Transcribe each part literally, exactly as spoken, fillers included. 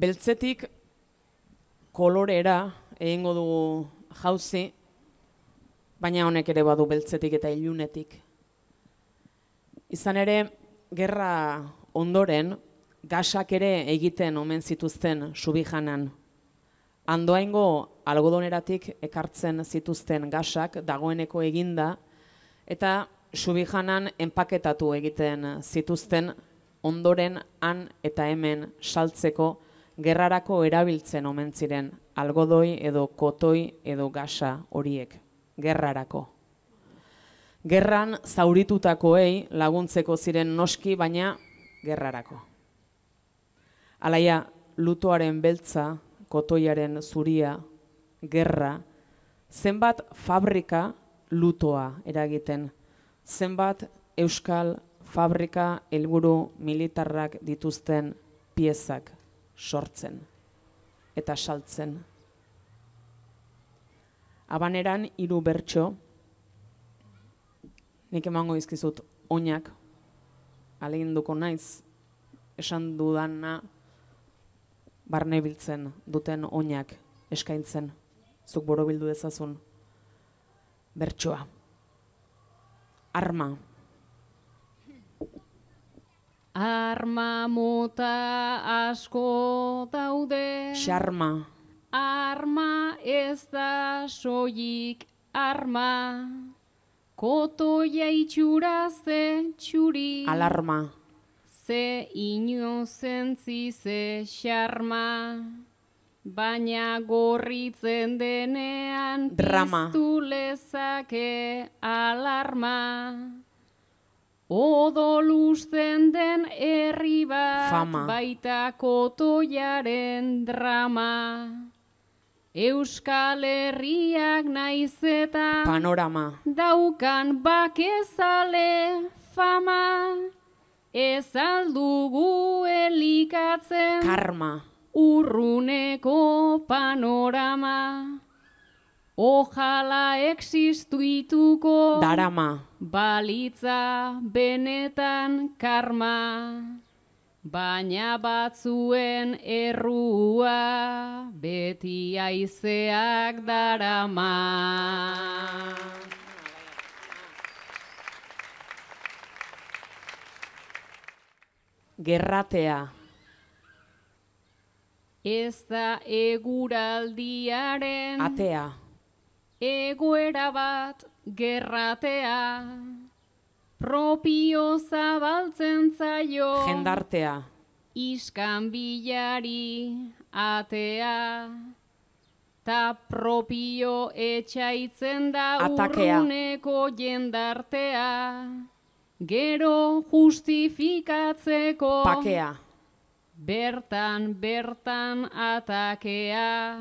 beltzetik kolorera egingo dugu jauzi, baina honek ere badu beltzetik eta ilunetik. Izan ere, gerra ondoren, gasak ere egiten omen zituzten Subijanan. Andoaingo algodoneratik ekartzen zituzten gasak dagoeneko eginda, eta Subijanan enpaketatu egiten zituzten ondoren han eta hemen saltzeko gerrarako erabiltzen omen ziren algodoi edo kotoi edo gasa horiek, gerrarako. Gerran zauritutakoei laguntzeko ziren noski, baina gerrarako. Alaia, lutoaren beltza, kotoiaren zuria, gerra, zenbat fabrika lutoa eragiten, zenbat euskal fabrika helburu militarrak dituzten piezak sortzen eta saltzen. Abaneran hiru bertso, nik emango izkizut oinak, ahaleginduko naiz, esan dudana barne biltzen duten oinak eskaintzen, zuk borobildu dezazun bertsoa. Arma. Arma mota asko daude. Xarma. Arma ez da soilik arma. Kotoia itxura ze txuri. Alarma. Ze inozentzi ze xarma. Baina gorritzen denean drama. Piztu lezake alarma. Odolusten den herri bat fama. Baita kotoiaren drama. Euskal Herriak naiz eta panorama. Daukan bakezale fama. Ez aldugu elikatzen karma. Urruneko panorama. Ojala existuituko darama. Balitza benetan karma. Baina batzuen errua beti haizeak darama. Gerratea. Ez da eguraldiaren atea. Egoera bat gerratea. Propio zabaltzen zaio jendartea. Iskanbilari atea. Ta propio etxaitzen da atakea. Urruneko jendartea. Gero justifikatzeko pakea. Bertan, bertan atakea.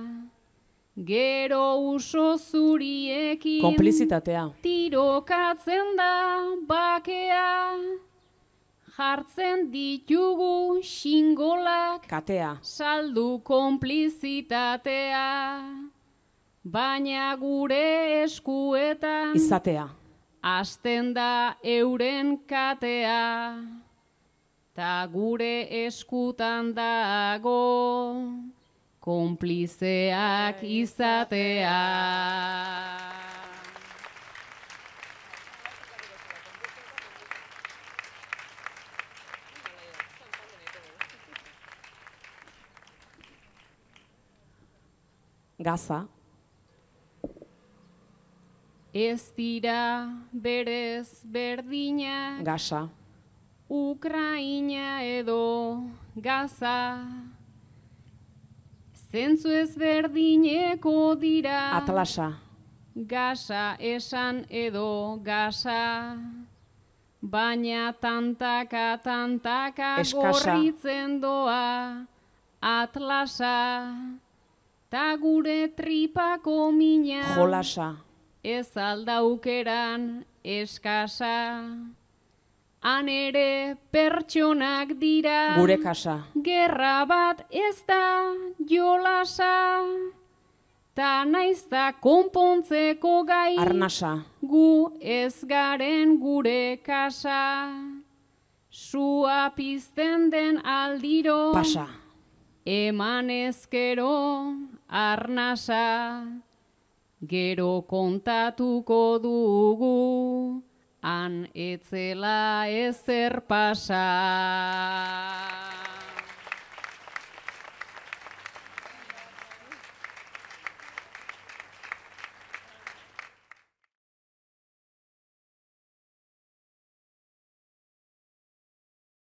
Gero uso zuriekin konplizitatea. Tirokatzen da bakea. Jartzen ditugu xingolak katea. Saldu konplizitatea. Baina gure eskuetan izatea. Hasten da euren katea. Ta gure eskutan dago konplizeak izatea. Gaza. Ez dira berez berdina. Gaza. Ukraina edo Gaza. Zentzu ezberdineko dira. Atlasa. Gaza esan edo Gaza. Baina tantaka tantaka eskasa. Gorritzen doa Atlasa. Ta gure tripako mina. Jolasa. Ez aldaukeran eskasa. Han ere pertsonak dira. Gure kasa. Gerra bat ez da jolasa. Ta naiz da konpontzeko gai. Arnasa. Gu ez garen gure kasa. Sua pizten den aldiro. Pasa. eman ezkero arnasa, gero kontatuko dugu, han etzela ezer pasa.